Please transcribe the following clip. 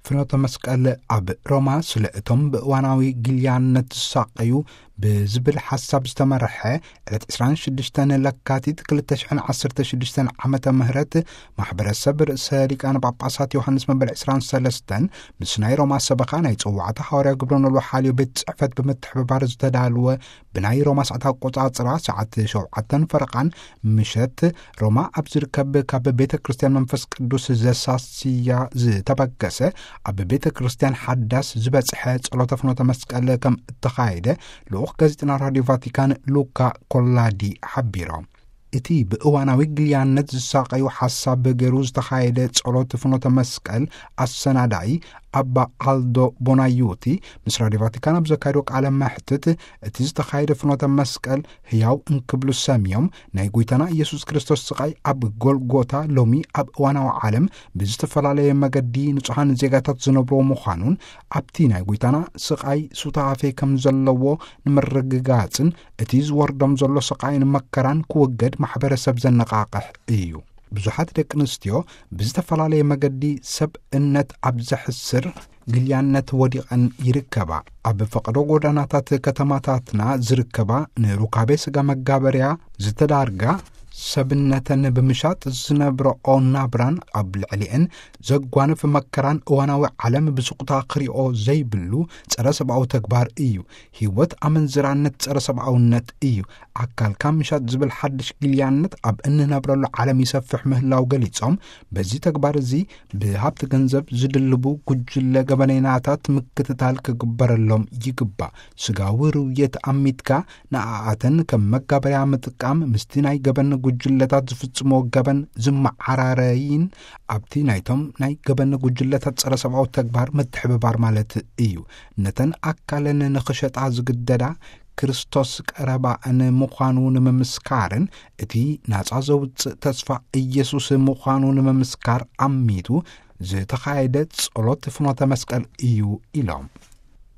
ፍኖተ መስቀል ኣብ ሮማ ስለ እቶም ብእዋናዊ ግልያነት ዝሳቐዩ ብዝብል ሓሳብ ዝተመርሐ ዕለት ዕስራን ሽዱሽተን ለካቲት ክልተ ሽሕን ዓሰርተ ሽዱሽተን ዓመተ ምህረት ማሕበረሰብ ርእሰ ሊቃነ ጳጳሳት ዮሃንስ መበል ዕስራን ሰለስተን ምስ ናይ ሮማ ሰበኻ ናይ ጽዋዕታ ሃዋርያ ግብረ ኖልዎ ሓልዮ ቤት ጽሕፈት ብምትሕብባር ዝተዳልወ ብናይ ሮማ ሰዓት ኣቆጻጽራ ሰዓት ሸውዓተን ፈረቓን ምሸት ሮማ ኣብ ዝርከብ ካብ ቤተ ክርስቲያን መንፈስ ቅዱስ ዘሳስያ ዝተበገሰ ኣብ ቤተ ክርስቲያን ሓዳስ ዝበጽሐ ጸሎተ ፍኖተ መስቀል ከም እተኻየደ ልኡኽ ጋዜጠና ራድዮ ቫቲካን ሉካ ኮላዲ ሓቢሮም። እቲ ብእዋናዊ ግልያነት ዝሳቐዩ ሓሳብ ገይሩ ዝተኻየደ ጸሎት ፍኖተ መስቀል ኣሰናዳኢ ኣባ ኣልዶ ቦናዩቲ ምስ ራድዮ ቫቲካን ኣብ ዘካየዶ ቃለ መሕትት፣ እቲ ዝተኻየደ ፍኖተ መስቀል ህያው እንክብሉ ሰምዮም ናይ ጎይታና ኢየሱስ ክርስቶስ ስቓይ ኣብ ጎልጎታ ሎሚ ኣብ እዋናዊ ዓለም ብዝተፈላለየ መገዲ ንጹሓን ዜጋታት ዝነብርዎ ምዃኑን ኣብቲ ናይ ጎይታና ስቓይ ሱታፌ ከም ዘለዎ ንምርግጋጽን እቲ ዝወርዶም ዘሎ ስቓይን መከራን ክውገድ ማሕበረሰብ ዘነቓቕሕ እዩ። ብዙሓት ደቂ ኣንስትዮ ብዝተፈላለየ መገዲ ሰብ እነት ኣብ ዘሕስር ግልያነት ወዲቐን ይርከባ። ኣብ ፈቐዶ ጎዳናታት ከተማታትና ዝርከባ ንሩካቤ ስጋ መጋበርያ ዝተዳርጋ ሰብነተን ብምሻጥ ዝነብረኦ ናብራን ኣብ ልዕሊአን ዘጓንፍ መከራን እዋናዊ ዓለም ብስቑታ ክሪኦ ዘይብሉ ጸረ ሰብኣዊ ተግባር እዩ። ህይወት ኣመንዝራነት ጸረ ሰብኣውነት እዩ። ኣካልካ ምሻጥ ዝብል ሓድሽ ግልያነት ኣብ እንነብረሉ ዓለም ይሰፍሕ ምህላው ገሊጾም፣ በዚ ተግባር እዚ ብሃብቲ ገንዘብ ዝድልቡ ጉጅለ ገበነይናታት ምክትታል ክግበረሎም ይግባእ። ስጋዊ ርውየት ኣሚትካ ንኣኣተን ከም መጋበርያ ምጥቃም ምስቲ ናይ ገበን ጉጅለታት ዝፍጽሞ ገበን ዝመዓራረይን ኣብቲ ናይቶም ናይ ገበን ጉጅለታት ጸረ ሰብኣዊ ተግባር ምትሕብባር ማለት እዩ። ነተን ኣካለን ንኽሸጣ ዝግደዳ ክርስቶስ ቀረባእን ምዃኑ ንምምስካርን እቲ ናጻ ዘውጽእ ተስፋ ኢየሱስ ምዃኑ ንምምስካር ኣሚቱ ዝተኻየደ ጸሎት ፍኖተ መስቀል እዩ ኢሎም።